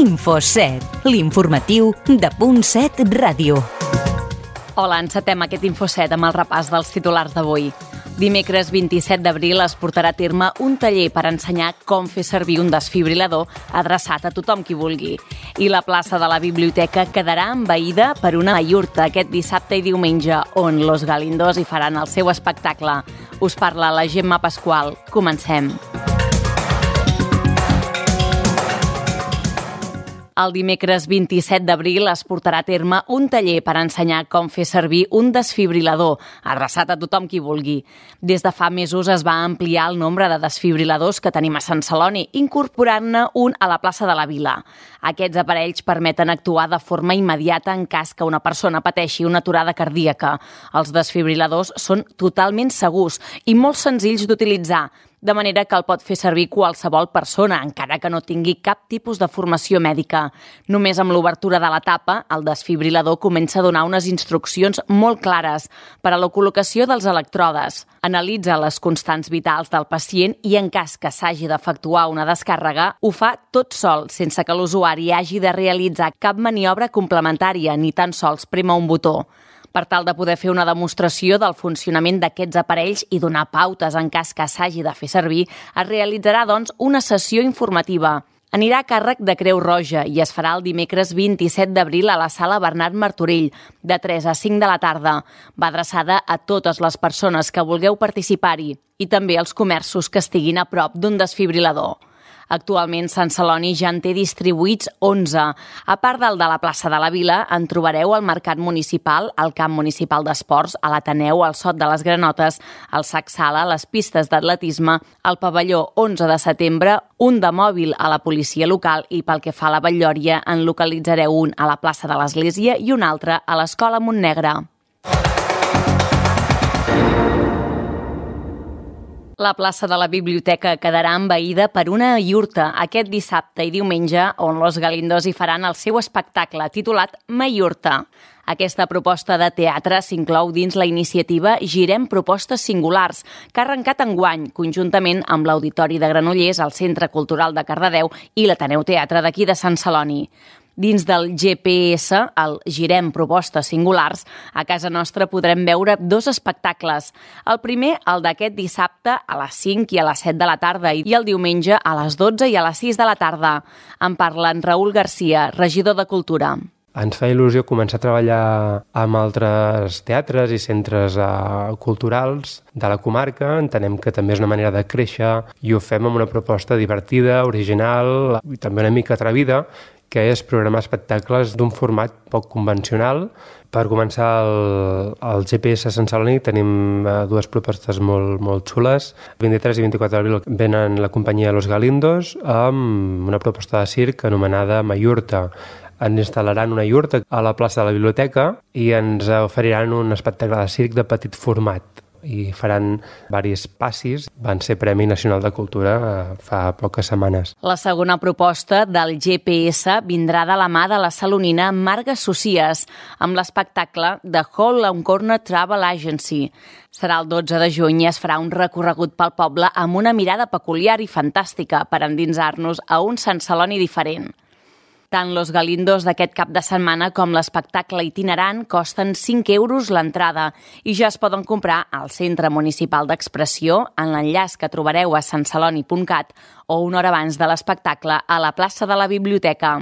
Info7, l'informatiu de Punt7 Ràdio. Hola, encetem aquest Info7 amb el repàs dels titulars d'avui. Dimecres 27 d'abril es portarà a terme un taller per ensenyar com fer servir un desfibrilador adreçat a tothom qui vulgui. I la plaça de la biblioteca quedarà envaïda per una iurta aquest dissabte i diumenge, on Los Galindos hi faran el seu espectacle. Us parla la Gemma Pasqual. Comencem. El dimecres 27 d'abril es portarà a terme un taller per ensenyar com fer servir un desfibrilador, adreçat a tothom qui vulgui. Des de fa mesos es va ampliar el nombre de desfibriladors que tenim a Sant Celoni, incorporant-ne un a la plaça de la Vila. Aquests aparells permeten actuar de forma immediata en cas que una persona pateixi una aturada cardíaca. Els desfibriladors són totalment segurs i molt senzills d'utilitzar, de manera que el pot fer servir qualsevol persona, encara que no tingui cap tipus de formació mèdica. Només amb l'obertura de la tapa, el desfibrilador comença a donar unes instruccions molt clares per a la col·locació dels electrodes. Analitza les constants vitals del pacient i, en cas que s'hagi d'efectuar una descàrrega, ho fa tot sol, sense que l'usuari hagi de realitzar cap maniobra complementària ni tan sols prémer un botó. Per tal de poder fer una demostració del funcionament d'aquests aparells i donar pautes en cas que s'hagi de fer servir, es realitzarà, doncs, una sessió informativa. Anirà a càrrec de Creu Roja i es farà el dimecres 27 d'abril a la sala Bernat Martorell, de 3 a 5 de la tarda. Va adreçada a totes les persones que vulgueu participar-hi i també als comerços que estiguin a prop d'un desfibrilador. Actualment, Sant Celoni ja en té distribuïts 11. A part del de la plaça de la Vila, en trobareu al Mercat Municipal, al Camp Municipal d'Esports, a l'Ateneu, al Sot de les Granotes, al Sac Sala, les pistes d'atletisme, al pavelló 11 de setembre, un de mòbil a la policia local i, pel que fa a la Batllòria, en localitzareu un a la plaça de l'Església i un altre a l'Escola Montnegre. La plaça de la biblioteca quedarà envaïda per una iurta aquest dissabte i diumenge, on Los Galindos hi faran el seu espectacle titulat Maiurta. Aquesta proposta de teatre s'inclou dins la iniciativa Girem Propostes Singulars, que ha arrencat enguany, conjuntament amb l'Auditori de Granollers, el Centre Cultural de Cardedeu i l'Ateneu Teatre d'aquí de Sant Celoni. Dins del GPS, el Girem Propostes Singulars, a casa nostra podrem veure 2 espectacles. El primer, el d'aquest dissabte, a les 5 i a les 7 de la tarda, i el diumenge a les 12 i a les 6 de la tarda. En parla en Raül Garcia, regidor de Cultura. Ens fa il·lusió començar a treballar amb altres teatres i centres culturals de la comarca. Entenem que també és una manera de créixer i ho fem amb una proposta divertida, original i també una mica atrevida, que és programar espectacles d'un format poc convencional. Per començar, al GPS a Sant Celoni tenim 2 propostes molt xules. El 23 i 24 d'abril venen la companyia Los Galindos amb una proposta de circ anomenada Maiurta. Ens instal·laran una iurta a la plaça de la biblioteca i ens oferiran un espectacle de circ de petit format i faran diversos passis. Van ser Premi Nacional de Cultura fa poques setmanes. La segona proposta del GPS vindrà de la mà de la salonina Marga Socies, amb l'espectacle The Hall on Corner Travel Agency. Serà el 12 de juny i es farà un recorregut pel poble amb una mirada peculiar i fantàstica per endinsar-nos a un Sant Celoni diferent. Tant Los Galindos d'aquest cap de setmana com l'espectacle itinerant costen 5 euros l'entrada i ja es poden comprar al Centre Municipal d'Expressió en l'enllaç que trobareu a santceloni.cat o una hora abans de l'espectacle a la plaça de la Biblioteca.